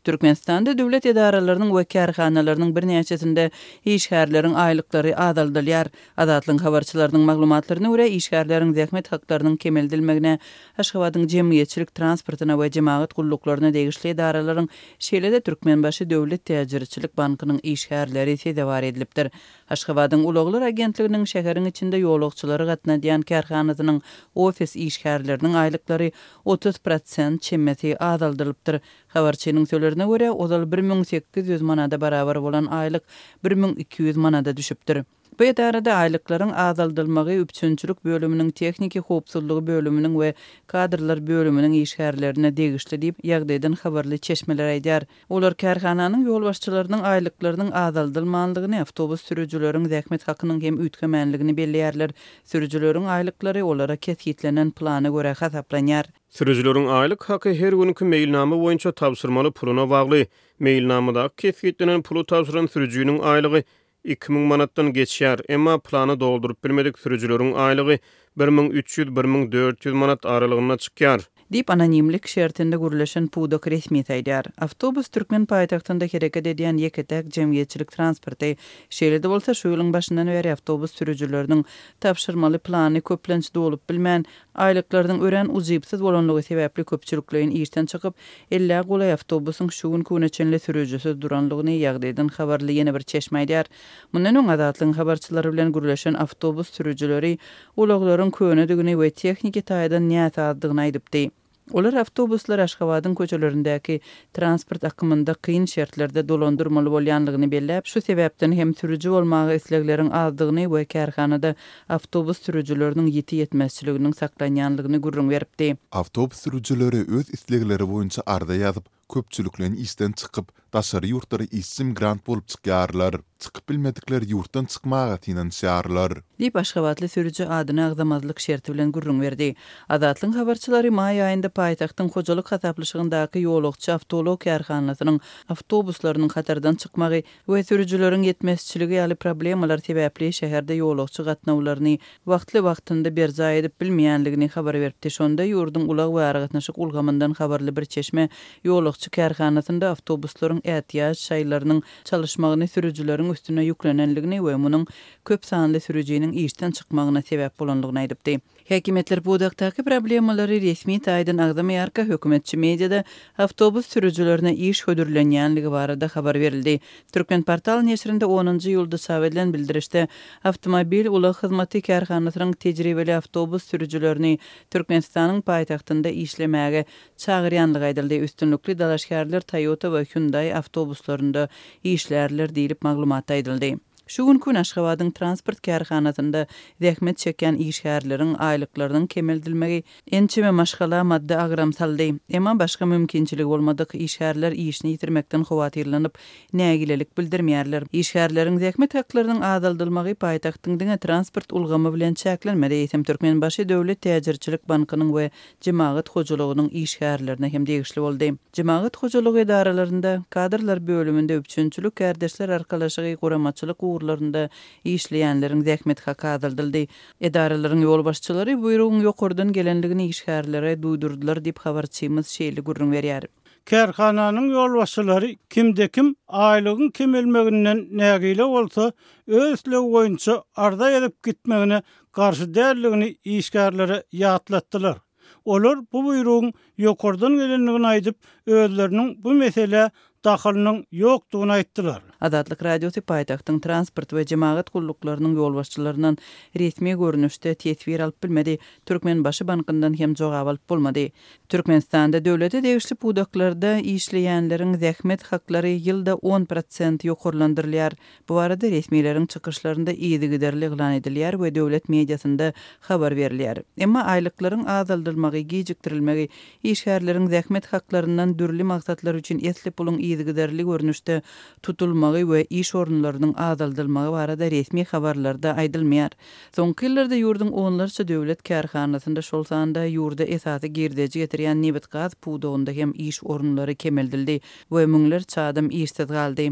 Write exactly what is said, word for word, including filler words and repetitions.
Türkmenistanda döwlet edaralarynyň we kärhanalarynyň birnäçesinde işgärleriň aýlyklary azaldylýar. Azatlygyň habarçylarynyň maglumatlaryna görä, işgärleriň zähmet haklarynyň kemeldilmegine Aşgabadyň jemgyýetçilik transportyna we jemagat gulluklaryna degişli edaralaryň, şeýle-de Türkmenbaşy döwlet täjirçilik bankynyň işgärleri sezewar edilipdir. Aşgabadyň ulaglar agentliginiň şäheriň içinde ýolagçylary gatnadýan kärhanasynyň ofis işgärleriniň aýlyklary otuz prosent çemesi azaldylypdyr. Habarçynyň sözlerine görä, ozal bir müň sekiz ýüz manada barabar bolan aýlyk bir müň iki ýüz manada düşüpdir. Bu edarada aýlyklaryň azaldylmagy üpjünçilik bölüminiň, tehniki howpsuzlygy bölüminiň we kadrlar bölüminiň işgärlerine degişli diýip, ýagdaýdan habarly çeşmeler aýdýar. Olar kärhananyň ýolbaşçylarynyň aýlyklarynyň azaldylmanlygyny, awtobus sürüjileriň zähmet hakynyň hem üýtgemänligini belleýärler. Sürüjileriň aýlyklary olara kesgitlenen plana görä hasaplanýar. Sürüjileriň aýlyk haky her günki meýilnama boýunça tabşyrmaly puluna bagly. Meýilnamadaky kesgitlenen puly tabşyran sürüjiniň aýlygy iki müň manatdan geçýär, emma plany dolduryp bilmedik sürüjileriň aýlygy bir müň üç ýüz, bir müň dört ýüz manat aralygynda çykýar. Diýip, anonimlik şertinde gürleşen pudak resmisi aýdýar. Awtobus türkmen paýtagtynda hereket edýän ýeke-täk jemgyýetçilik transporty. Şeýle-de bolsa, şu ýylyň başyndan bäri awtobus sürüjileriniň tabşyrmaly plany köplenç dolup bilmän, aýlyklarynyň örän ujypsyz bolanlygy sebäpli köpçülikleýin işden çykyp, ellä golaý awtobusyň şu günki güne çenli sürüjisiz duranlygyny ýagdaýdan habarly ýene bir çeşme aýdýar. Mundan öň Azatlygyň habarçylary bilen gürleşen awtobus sürüjileri ulaglaryň könedigini we tehniki taýdan näsazdygyny aýdypdy. Olar awtobuslar Aşgabadyň köçelerindäki transport akymynda kyn şertlerde dolandyrmaly bolýanlygyny belläp, şu sebäpden hem sürüji bolmaga islegleriň azdygyny we kärhanada awtobus sürüjileriniň ýiti ýetmezçiliginiň saklanýanlygyny gürrüň beripdi. Awtobus sürüjileri öz islegleri boýunça arza ýazyp, köpçülikleýin işden çykyp, daşary ýurtlara işçi migrant bolup çykýarlar. Çykyp bilmedikler ýurtdan çykmaga synanyşýarlar. Diýip, aşgabatly sürüji adyny agzamazlyk şerti bilen gürrüň berdi. Azatlygyň habarçylary maý aýynda paýtagtyň hojalyk hasaplaşygyndaky ýolagçy awtoulag kärhanasynyň awtobuslarynyň hatardan çykmagy we sürüjileriň ýetmezçiligi ýaly problemalar sebäpli şäherde ýolagçy gatnawlaryny wagtly-wagtynda berjaý edip bilmeýänligini habar beripdi. Şonda ýurduň ulag we aragatnaşyk ulgamyndan habarly bir çeşme ýolagçy kärhanasynda awtobuslaryň ätiýaç şaýlarynyň çalyşmagyny sürüjileriň üstüne ýüklenenligini we munuň köp sanly sürüjiniň işden çykmagyna sebäp bolanlygyny aýdypdy. Häkimiýetler pudakdaky problemalary resmi taýdan agzamaýarka, hökümetçi mediada awtobus sürüjilerine iş hödürlenýänligi barada habar berildi. Türkmenportal neşirinde onunjy iýulda çap edilen bildirişde awtomobil ulag hyzmaty kärhanasynyň tejribeli awtobus sürüjilerini Türkmenistanyň paýtagtynda işlemäge çagyrýanlygy aýdyldy. Üstünlikli dalaşgärler Toyota we Hyundai awtobuslarynda işlärler diýlip maglumatda aýdyldy. Şu günki gün Aşgabadyň transport kärhanasynda zähmet çekýän işgärleriň aýlyklarynyň kemeldilmegi ençeme maşgala maddy agram saldy. Emma başga mümkinçiligi bolmadyk işgärler işini ýitirmekden howatyrlanyp, nägilelik bildirmeýärler. Işgärleriň zähmet haklarynyň azaldylmagy paýtagtyň diňe transport ulgamy bilen çäklenmedi, eýsem Türkmenbaşy döwlet täjirçilik bankynyň we jemagat hojalygynyň işgärlerine hem degişli boldy. Jemagat hojalygy edaralarynda, kadrlar bölüminde üpjünçilik, kärdeşler arkalaşygy, guramaçylyk ugurlarynda işleýänleriň zähmet haky azaldyldy. Edaralaryň ýolbaşçylary buýrugyň ýokardan gelenligini işgärlere duýdurdylar diýip habarçymyz şeýle gürrüň berýär. Kärhananyň ýolbaşçylary kimde kim aýlygyň kemelmeginden nägile bolsa, öz islegi boýunça arza ýazyp gitmegine garşy däldigini işgärlere ýatlatdylar. Olar bu buýrugyň ýokardan gelendigini aýdyp, özleriniň bu meselä dahylynyň ýokdugyny aýtdylar. Azatlyk Radiosy paýtagtyň transport we jemagat gulluklarynyň ýolbaşçylaryndan resmi görnüşde teswir alyp bilmedi, Türkmenbaşy bankyndan hem jogap alyp bolmady. Türkmenistanda döwlete degişli pudaklarda işleýänleriň zähmet haklary ýylda on prosent ýokarlandyrylýar. Bu barada resmileriň çykyşlarynda yzygiderli yglan edilýär we döwlet mediasynda habar berilýär. Emma aýlyklaryň azaldylmagy, gijikdirilmegi, işgärleriň zähmet haklaryndan dürli maksatlar üçin esli puluň yzygiderli görnüşde tutulmagy we iş orunlarynyň azaldylmagy barada resmi habarlarda aýdylmaýar. Soňky ýyllarda ýurduň onlarça döwlet kärhanasynda, şol sanda ýurda esasy girdeji getirýän nebit-gaz pudagynda hem iş orunlary kemeldildi we müňlerçe adam işsiz galdy.